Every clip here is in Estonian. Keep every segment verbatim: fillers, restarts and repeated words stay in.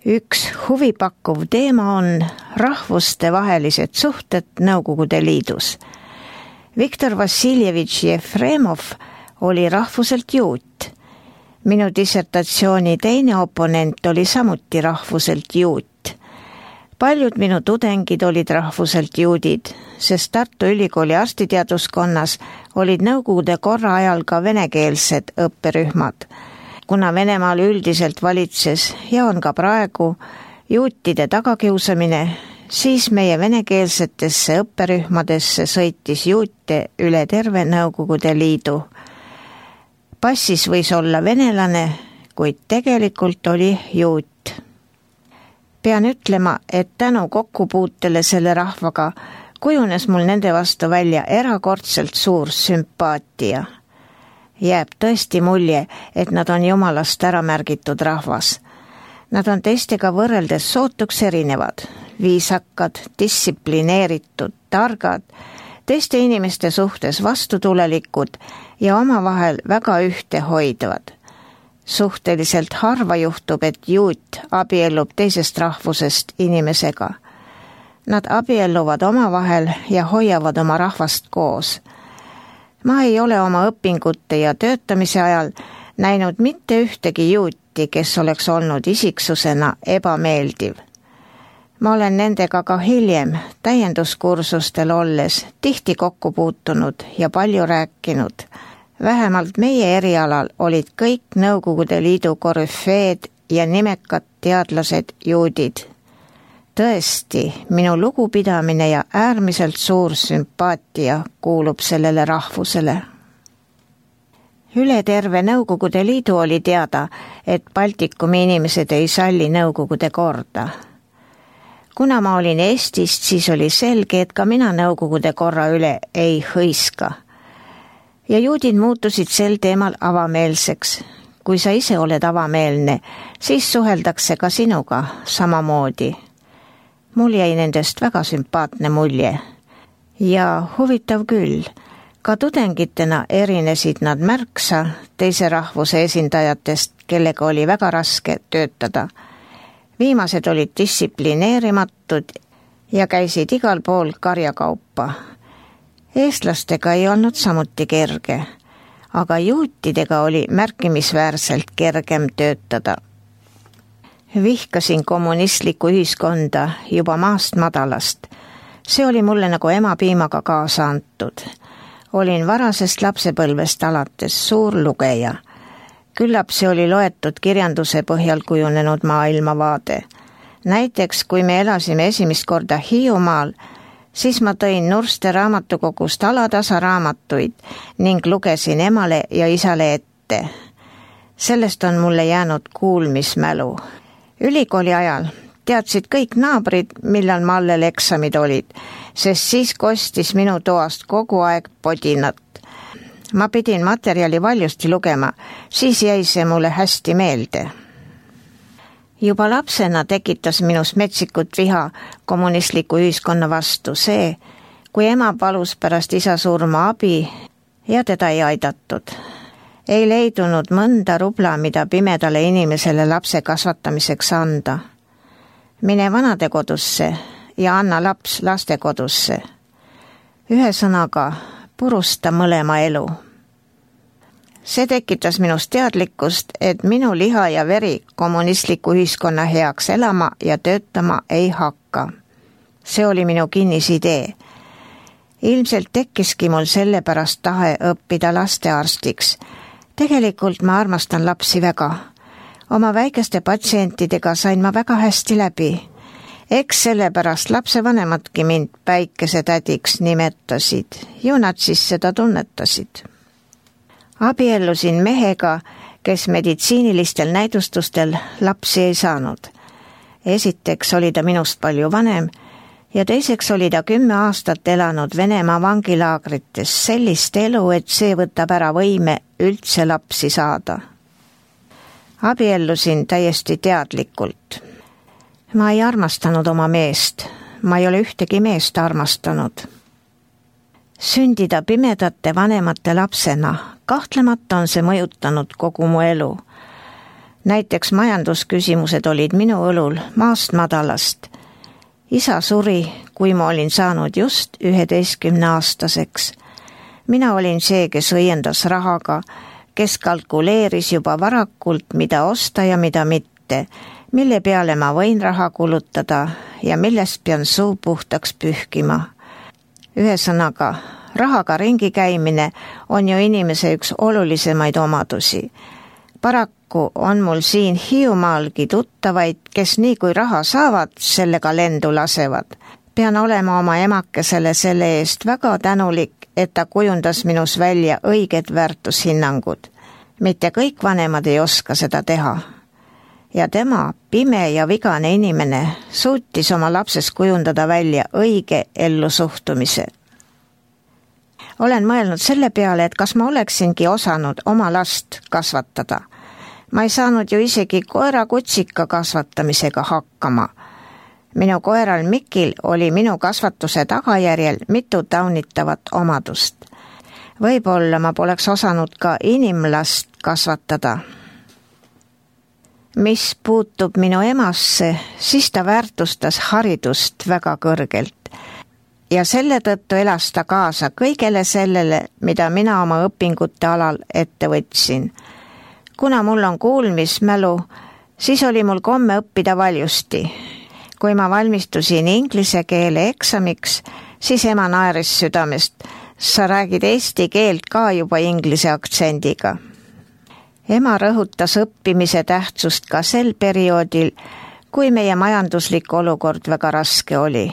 Üks huvipakkuv teema on rahvuste vahelised suhted Nõukogude Liidus. Viktor Vassiljevitš Jefremov oli rahvuselt juut. Minu dissertatsiooni teine oponent oli samuti rahvuselt juut. Paljud minu tudengid olid rahvuselt juudid, sest Tartu Ülikooli arstiteaduskonnas olid Nõukogude korra ajal ka venekeelsed õpperühmad. Kuna Venemaal üldiselt valitses ja on ka praegu juutide tagakiusamine, siis meie venekeelsetesse õpperühmadesse sõitis juute üle terve Nõukogude Liidu. Passis võis olla venelane, kuid tegelikult oli juut. Pean ütlema, et tänu kokkupuutele selle rahvaga kujunes mul nende vastu välja erakordselt suur sümpaatia. Jääb tõesti mulje, et nad on jumalast ära märgitud rahvas. Nad on teistega võrreldes sootuks erinevad, viisakad, distsiplineeritud, targad, teiste inimeste suhtes vastutulelikud ja omavahel väga ühtehoidvad. Suhteliselt harva juhtub, et juut abiellub teisest rahvusest inimesega. Nad abielluvad omavahel ja hoiavad oma rahvast koos. Ma ei ole oma õpingute ja töötamise ajal näinud mitte ühtegi juuti, kes oleks olnud isiksusena ebameeldiv. Ma olen nendega ka hiljem täienduskursustel olles tihti kokku puutunud ja palju rääkinud. Vähemalt meie erialal olid kõik Nõukogude Liidu korüfeed ja nimekad teadlased juudid. Tõesti, minu lugupidamine ja äärmiselt suur sümpaatia kuulub sellele rahvusele. Üle terve Nõukogude Liidu oli teada, et Baltikumi inimesed ei salli Nõukogude korda. Kuna ma olin Eestist, siis oli selge, et ka mina Nõukogude korra üle ei hõiska. Ja juudid muutusid sel teemal avameelseks. Kui sa ise oled avameelne, siis suheldakse ka sinuga samamoodi. Mul jäi nendest väga sümpaatne mulje. Ja huvitav küll, ka tudengitena erinesid nad märksa teise rahvuse esindajatest, kellega oli väga raske töötada. Viimased olid distsiplineerimatud ja käisid igal pool karjakaupa. Eestlastega ei olnud samuti kerge, aga juutidega oli märkimisväärselt kergem töötada. Vihkasin kommunistlikku ühiskonda juba maast madalast. See oli mulle nagu emapiimaga kaasa antud. Olin varasest lapsepõlvest alates suur lugeja. Küllap see oli loetud kirjanduse põhjal kujunenud maailmavaade. Näiteks, kui me elasime esimest korda Hiiumaal, siis ma tõin Nurste raamatukogust alatasa raamatuid ning lugesin emale ja isale ette. Sellest on mulle jäänud kuulmismälu. Ülikooli ajal teadsid kõik naabrid, millal ma allel eksamid olid, sest siis kostis minu toast kogu aeg podinat. Ma pidin materjali valjusti lugema, siis jäi see mulle hästi meelde. Juba lapsena tekitas minus metsikut viha kommunistliku ühiskonna vastu see, kui ema palus pärast isa surma abi ja teda ei aidatud. Ei leidunud mõnda rubla, mida pimedale inimesele lapse kasvatamiseks anda. Mine vanadekodusse ja anna laps lastekodusse. Ühesõnaga, purusta mõlema elu. See tekitas minust teadlikkust, et minu liha ja veri kommunistliku ühiskonna heaks elama ja töötama ei hakka. See oli minu kinnisidee. Ilmselt tekkiski mul sellepärast tahe õppida lastearstiks. Tegelikult ma armastan lapsi väga. Oma väikeste patsientidega sain ma väga hästi läbi. Eks sellepärast lapsevanemadki mind päikesetädiks nimetasid. Ju nad siis seda tunnetasid. Abiellusin mehega, kes meditsiinilistel näidustustel lapsi ei saanud. Esiteks oli ta minust palju vanem ja teiseks oli ta kümme aastat elanud Venemaa vangilaagrites sellist elu, et see võtab ära võime üldse lapsi saada. Abiellusin täiesti teadlikult. Ma ei armastanud oma meest, ma ei ole ühtegi meest armastanud. Sündida pimedate vanemate lapsena, kahtlemata on see mõjutanud kogu mu elu. näiteks majandusküsimused olid minu õlul maast madalast. Isa suri, kui ma olin saanud just üheteistkümneaastaseks. Mina olin see, kes õiendas rahaga, kes kalkuleeris juba varakult, mida osta ja mida mitte, mille peale ma võin raha kulutada ja millest pean suu puhtaks pühkima. Ühesõnaga, rahaga ringi käimine on ju inimese üks olulisemaid omadusi. Paraku on mul siin Hiiumaalgi tuttavaid, kes nii kui raha saavad, sellega lendu lasevad. Pean olema oma emakesele selle eest väga tänulik, et ta kujundas minus välja õiged väärtushinnangud. Mitte kõik vanemad ei oska seda teha. Ja tema, pime ja vigane inimene, suutis oma lapses kujundada välja õige ellusuhtumise. Olen mõelnud selle peale, et kas ma oleksingi osanud oma last kasvatada. Ma ei saanud ju isegi koera kutsika kasvatamisega hakkama. Minu koeral Mikil oli minu kasvatuse tagajärjel mitu taunitavat omadust. Võib-olla ma poleks osanud ka inimlast kasvatada. Mis puutub minu emasse, siis ta väärtustas haridust väga kõrgelt. Ja selle tõttu elas ta kaasa kõigele sellele, mida mina oma õpingute alal ette võtsin. Kuna mul on kuulmismälu, siis oli mul komme õppida valjusti. Kui ma valmistusin inglise keele eksamiks, siis ema naeris südamest. Sa räägid eesti keelt ka juba inglise aktsendiga. Ema rõhutas õppimise tähtsust ka sel perioodil, kui meie majanduslik olukord väga raske oli.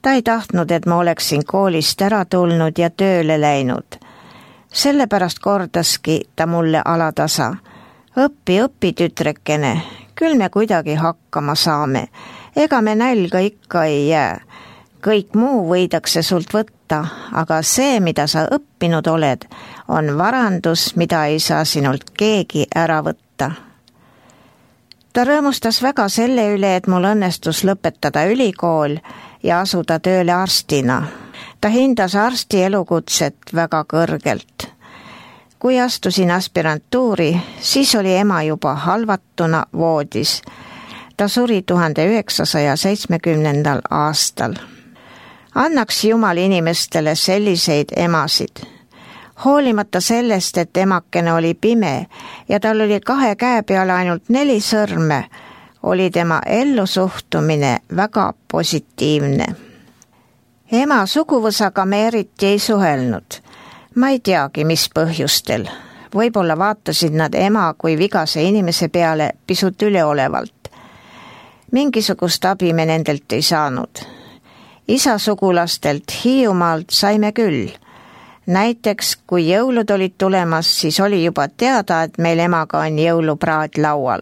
Ta ei tahtnud, et ma oleksin koolist ära tulnud ja tööle läinud. Sellepärast kordaski ta mulle alatasa. Õppi, õppi tütrekene, küll me kuidagi hakkama saame. Ega me nälga ikka ei jää. Kõik muu võidakse sult võtta, aga see, mida sa õppinud oled, on varandus, mida ei saa sinult keegi ära võtta. Ta rõõmustas väga selle üle, et mul õnnestus lõpetada ülikool ja asuda tööle arstina. Ta hindas arsti elukutset väga kõrgelt. Kui astusin aspirantuuri, siis oli ema juba halvatuna voodis. Ta suri tuhande üheksasaja seitsmekümnendal aastal. Annaks Jumal inimestele selliseid emasid. Hoolimata sellest, et emakene oli pime ja tal oli kahe käe peale ainult neli sõrme, oli tema ellusuhtumine väga positiivne. Ema suguvõsaga me eriti ei suhelnud. Ma ei teagi, mis põhjustel. Võib-olla vaatasid nad ema kui vigase inimese peale pisut üleolevalt. Mingisugust abi me nendelt ei saanud. Isa sugulastelt Hiiumaalt saime küll. Näiteks, kui jõulud olid tulemas, siis oli juba teada, et meil emaga on jõulupraad laual.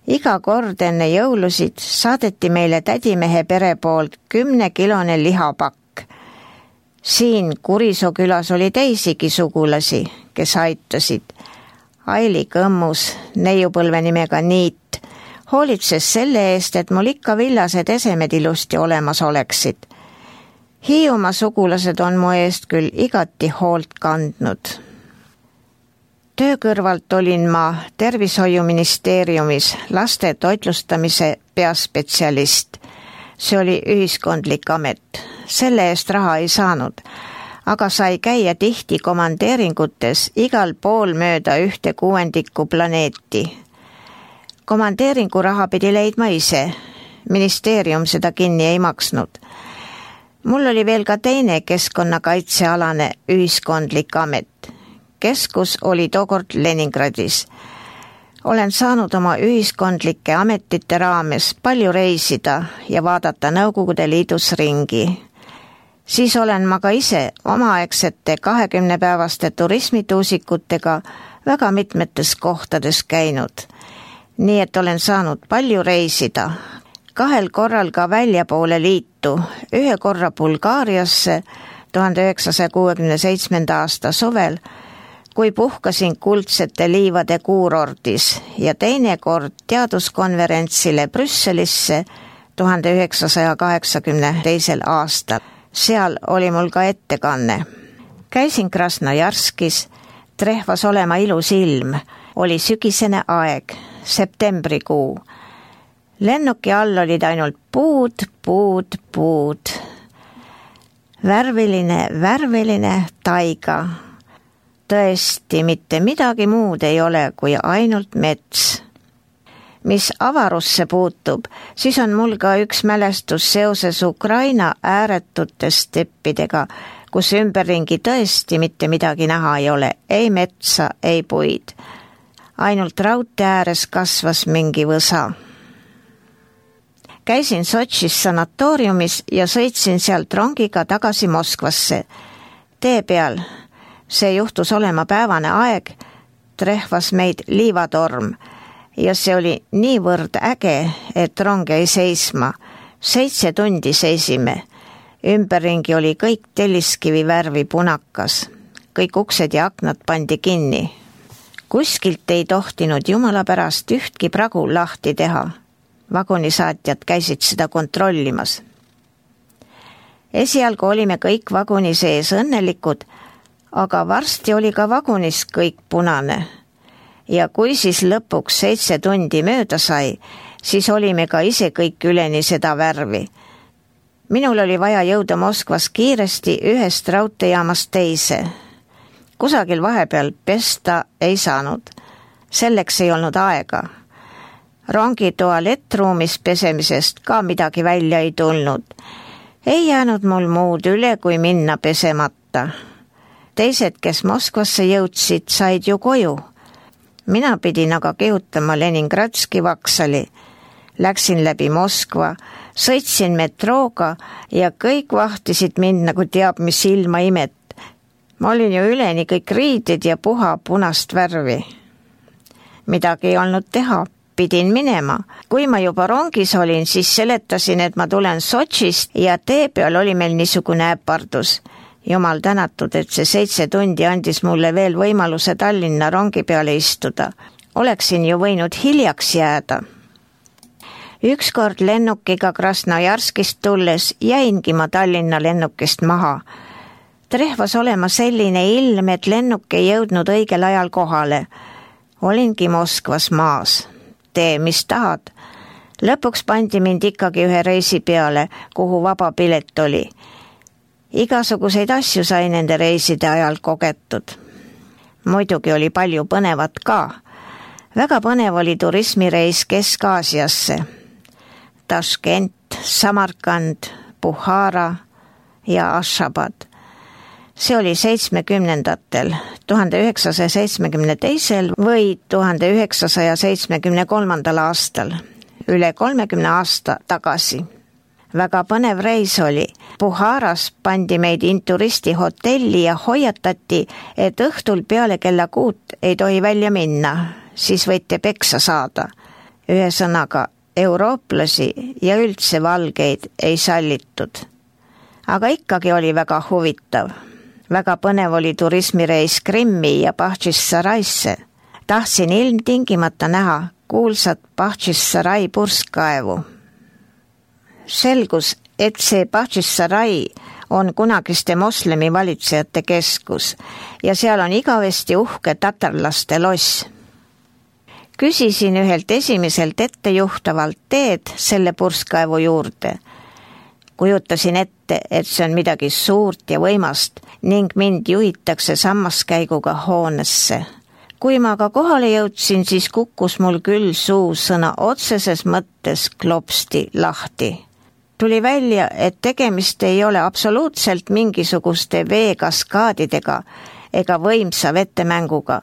Iga kord enne jõulusid saadeti meile tädimehe pere poolt kümnekilone lihapakk. Siin Kurisoo külas oli teisigi sugulasi, kes aitasid. Aili Kõmmus, neiupõlve nimega Niit, hoolitses selle eest, et mul ikka villased esemed ilusti olemas oleksid. Hiiumaa sugulased on mu eest küll igati hoolt kandnud. Töö kõrvalt olin ma tervishoiuministeeriumis laste toitlustamise peaspetsialist. See oli ühiskondlik amet. Selle eest raha ei saanud, aga sai käia tihti komandeeringutes igal pool mööda ühte kuuendikku planeeti. Komandeeringu raha pidi leidma ise. Ministeerium seda kinni ei maksnud. Mul oli veel ka teine keskkonnakaitsealane ühiskondlik amet. Keskus oli tookord Leningradis. Olen saanud oma ühiskondlike ametite raames palju reisida ja vaadata Nõukogude Liidus ringi. Siis olen ma ka ise omaaegsete kahekümnepäevaste turismituusikutega väga mitmetes kohtades käinud. Nii et olen saanud palju reisida. Kahel korral ka väljapoole liitu, ühe korra Bulgaariasse tuhande üheksasaja kuuekümne seitsmenda aasta suvel, kui puhkasin kuldsete liivade kuurordis ja teine kord teaduskonverentsile Brüsselisse tuhande üheksasaja kaheksakümne teisel aastal. Seal oli mul ka ettekanne. Käisin Krasnojarskis, trehvas olema ilus ilm, oli sügisene aeg. septembrikuu. Lennuki all olid ainult puud, puud, puud. Värviline, värviline taiga. Tõesti, mitte midagi muud ei ole kui ainult mets. Mis avarusse puutub, siis on mul ka üks mälestus seoses Ukraina ääretute steppidega, kus ümberringi tõesti mitte midagi näha ei ole, ei metsa, ei puid. Ainult raudtee ääres kasvas mingi võsa. Käisin Sotšis sanatooriumis ja sõitsin sealt rongiga tagasi Moskvasse. Tee peal, see juhtus olema päevane aeg, trehvas meid liivatorm ja see oli niivõrd äge, et rong jäi seisma. Seitse tundi seisime. Ümberringi oli kõik telliskivi värvi punakas. Kõik uksed ja aknad pandi kinni. Kuskilt ei tohtinud jumala pärast ühtki pragu lahti teha. Vagunisaatjad käisid seda kontrollimas. Esialgu olime kõik vaguni sees õnnelikud, aga varsti oli ka vagunis kõik punane. Ja kui siis lõpuks seitse tundi mööda sai, siis olime ka ise kõik üleni seda värvi. Minul oli vaja jõuda Moskvas kiiresti ühest raudteejaamast teise. Kusagil vahepeal pesta ei saanud. Selleks ei olnud aega. Rongi tualettruumis pesemisest ka midagi välja ei tulnud. Ei jäänud mul muud üle, kui minna pesemata. Teised, kes Moskvasse jõudsid, said ju koju. Mina pidin aga kihutama Leningradski vaksali. Läksin läbi Moskva, sõitsin metrooga ja kõik vahtisid mind nagu teab mis ilma imet. Ma olin ju üleni kõik riided ja puha punast värvi. Midagi ei olnud teha, pidin minema. Kui ma juba rongis olin, siis seletasin, et ma tulen Sotšist ja tee peal oli meil niisugune äpardus. Jumal tänatud, et see seitse tundi andis mulle veel võimaluse Tallinna rongi peale istuda. Oleksin ju võinud hiljaks jääda. Ükskord lennukiga Krasnojarskist tulles jäingi ma Tallinna lennukist maha. Trehvas olema selline ilm, et lennuk ei jõudnud õigel ajal kohale. Olingi Moskvas maas. Tee, mis tahad. Lõpuks pandi mind ikkagi ühe reisi peale, kuhu vaba pilet oli. Igasuguseid asju sai nende reiside ajal kogetud. Muidugi oli palju põnevat ka. Väga põnev oli turismireis Kesk-Aasiasse. Taškent, Samarkand, Buhara ja Ashabad. See oli seitsmekümnendatel, tuhande üheksasaja seitsmekümne teisel või tuhande üheksasaja seitsmekümne kolmandal aastal, üle kolmekümne aasta tagasi. Väga põnev reis oli. Buharas pandi meid inturisti hotelli ja hoiatati, et õhtul peale kella kuut ei tohi välja minna, siis võite peksa saada. Ühesõnaga, eurooplasi ja üldse valgeid ei sallitud. Aga ikkagi oli väga huvitav. Väga põnev oli turismireis Krimmi ja Bahčisaraisse. Tahtsin ilmtingimata näha kuulsat Bahčissarai purskkaevu. Selgus, et see Bahčissarai on kunagiste moslemi valitsejate keskus ja seal on igavesti uhke tatarlaste loss. Küsisin ühelt esimeselt ettejuhtavalt teed selle purskkaevu juurde. Kujutasin ette, et see on midagi suurt ja võimast ning mind juhitakse sammaskäiguga hoonesse. Kui ma aga kohale jõudsin, siis kukkus mul küll suu sõna otseses mõttes klopsti lahti. Tuli välja, et tegemist ei ole absoluutselt mingisuguste veekaskaadidega ega võimsa vetemänguga,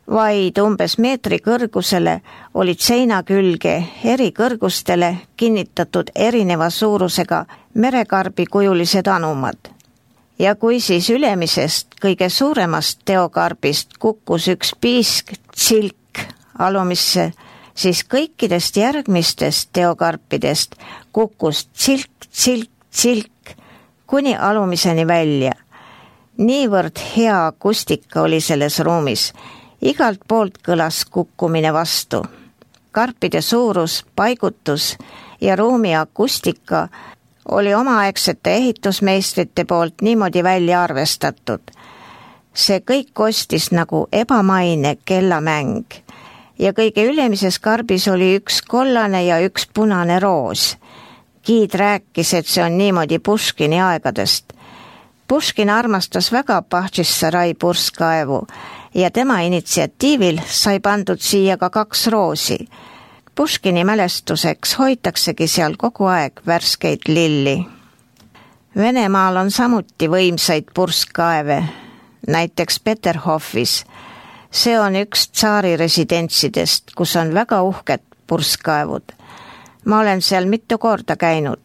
vaid umbes meetri kõrgusele olid seina külge eri kõrgustele kinnitatud erineva suurusega merekarbi kujulised anumad. Ja kui siis ülemisest kõige suuremast teokarbist kukkus üks piisk tsilk alumisse, siis kõikidest järgmistest teokarpidest kukkus tsilk, tsilk, tsilk kuni alumiseni välja. Niivõrd hea akustika oli selles ruumis. Igalt poolt kõlas kukkumine vastu. Karpide suurus, paigutus ja ruumi akustika oli omaaegsete ehitusmeistrite poolt niimoodi välja arvestatud. See kõik kostis nagu ebamaine kellamäng. ja kõige ülemises karbis oli üks kollane ja üks punane roos. Giid rääkis, et see on niimoodi Puškini aegadest. Puškin armastas väga Bahčissarai purskkaevu ja tema initsiatiivil sai pandud siia ka kaks roosi. Puškini mälestuseks hoitaksegi seal kogu aeg värskeid lilli. Venemaal on samuti võimsaid purskkaeve, näiteks Peterhofis. See on üks tsaari residentsidest, kus on väga uhked purskkaevud. Ma olen seal mitu korda käinud.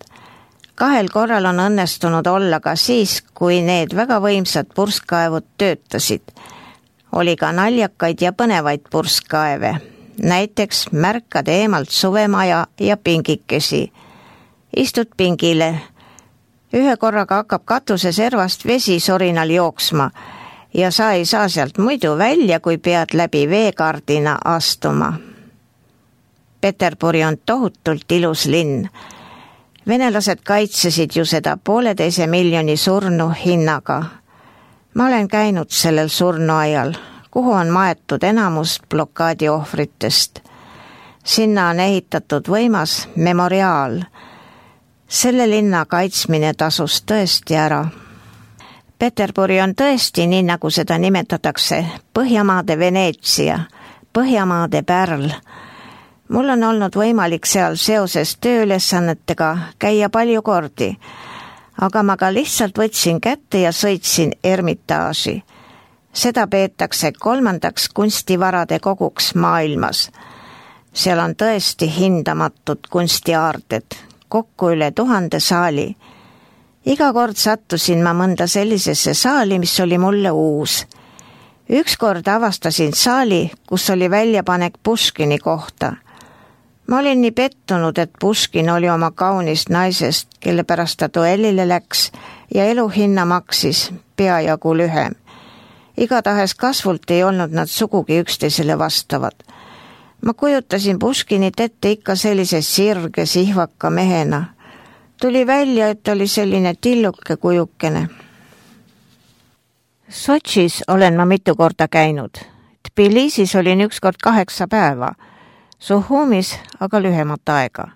Kahel korral on õnnestunud olla ka siis, kui need väga võimsad purskkaevud töötasid. Oli ka naljakaid ja põnevaid purskkaeve, näiteks märkad eemalt suvemaja ja pingikesi. Istud pingile. Ühe korraga hakkab katuse servast vesi sorinal jooksma ja sa ei saa sealt muidu välja, kui pead läbi veekardina astuma. Peterburi on tohutult ilus linn. Venelased kaitsesid ju seda pooleteise miljoni surnu hinnaga. Ma olen käinud sellel surnuajal, kuhu on maetud enamus blokaadi ohvritest. Sinna on ehitatud võimas memoriaal. Selle linna kaitsmine tasus tõesti ära. Peterburi on tõesti, nii nagu seda nimetatakse, Põhjamaade Veneetsia, Põhjamaade pärl. Mul on olnud võimalik seal seoses tööülesannetega käia palju kordi, aga ma ka lihtsalt võtsin kätte ja sõitsin Ermitaaži. Seda peetakse kolmandaks kunstivarade koguks maailmas. Seal on tõesti hindamatud kunstiaarded, kokku üle tuhande saali. Iga kord sattusin ma mõnda sellisesse saali, mis oli mulle uus. Ükskord avastasin saali, kus oli väljapanek Puškini kohta. Ma olin nii pettunud, et Puškin oli oma kaunist naisest, kelle pärast ta duellile läks ja eluhinna maksis peajagu lühem. Igatahes kasvult ei olnud nad sugugi üksteisele vastavad. Ma kujutasin Puškinit ette ikka sellise sirge sihvaka mehena. Tuli välja, et oli selline tilluke kujukene. Sotšis olen ma mitu korda käinud. Tbilisis olin ükskord kaheksa päeva. Suhumis aga lühemat aega.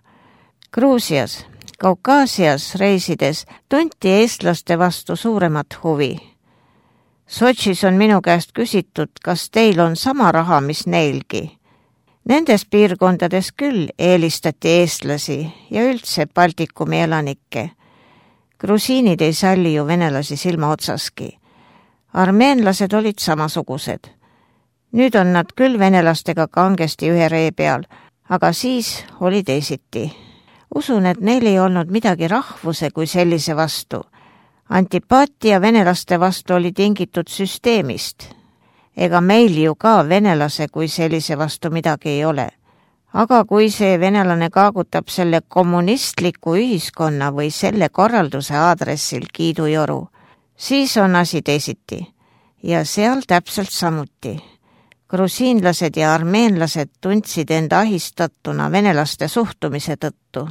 Gruusias, Kaukaasias reisides tunti eestlaste vastu suuremat huvi. Sotšis on minu käest küsitud, kas teil on sama raha, mis neilgi. Nendes piirkondades küll eelistati eestlasi ja üldse Baltikumi elanikke. Grusiinid ei salli ju venelasi silma otsaski. Armeenlased olid samasugused. Nüüd on nad küll venelastega kangesti ühe ree peal, aga siis oli teisiti. Usun, et neil ei olnud midagi rahvuse kui sellise vastu. Antipaatia venelaste vastu oli tingitud süsteemist. Ega meil ju ka venelase kui sellise vastu midagi ei ole. Aga kui see venelane kaagutab selle kommunistliku ühiskonna või selle korralduse aadressil kiidujoru, siis on asi teisiti. Ja seal täpselt samuti. Grusiinlased ja armeenlased tundsid enda ahistatuna venelaste suhtumise tõttu.